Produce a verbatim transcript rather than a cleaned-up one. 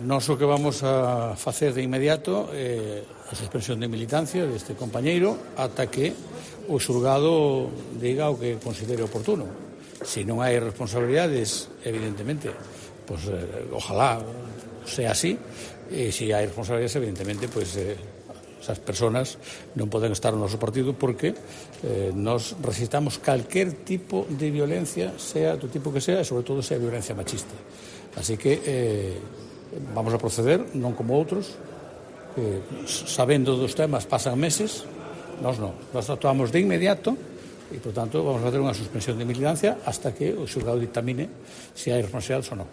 nós o que vamos a facer de inmediato é a suspensión de militancia deste compañeiro ata que o xulgado diga o que considere oportuno. Se non hai responsabilidades, evidentemente, pois, eh, ojalá sea así, e se hai responsabilidades, evidentemente, pois, eh, esas personas non poden estar no noso partido porque eh, nos resistamos calquer tipo de violencia, sea do tipo que sea, e sobre todo sea violencia machista. Así que eh, vamos a proceder, non como outros, que sabendo dos temas pasan meses. Nós non, nós actuamos de inmediato e, por tanto, vamos a facer unha suspensión de militancia hasta que o xulgado dictamine se hai responsabilidades ou non.